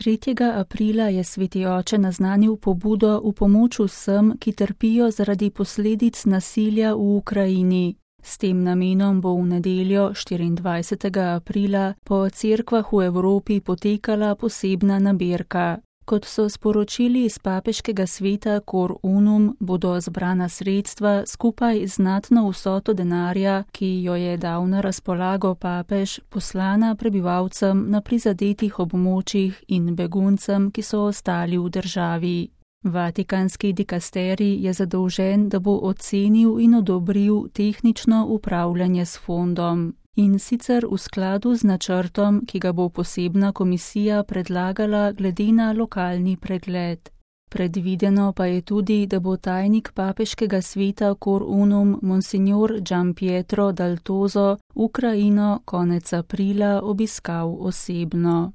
3. aprila je Sveti oče naznanil pobudo v pomoč vsem, ki trpijo zaradi posledic nasilja v Ukrajini. S tem namenom bo v nedeljo 24. aprila po cerkvah v Evropi potekala posebna nabirka. Kot so sporočili iz papeškega sveta Cor Unum, bodo zbrana sredstva skupaj z znatno vsoto denarja, ki jo je dal na razpolago papež, poslana prebivalcem na prizadetih območjih in beguncem, ki so ostali v državi. Vatikanski dikasterij je zadolžen, da bo ocenil in odobril tehnično upravljanje s fondom. In sicer v skladu z načrtom, ki ga bo posebna komisija predlagala glede na lokalni pregled. Predvideno pa je tudi, da bo tajnik papeškega sveta Cor Unum Monsignor Gianpietro Dal Toso Ukrajino konec aprila obiskal osebno.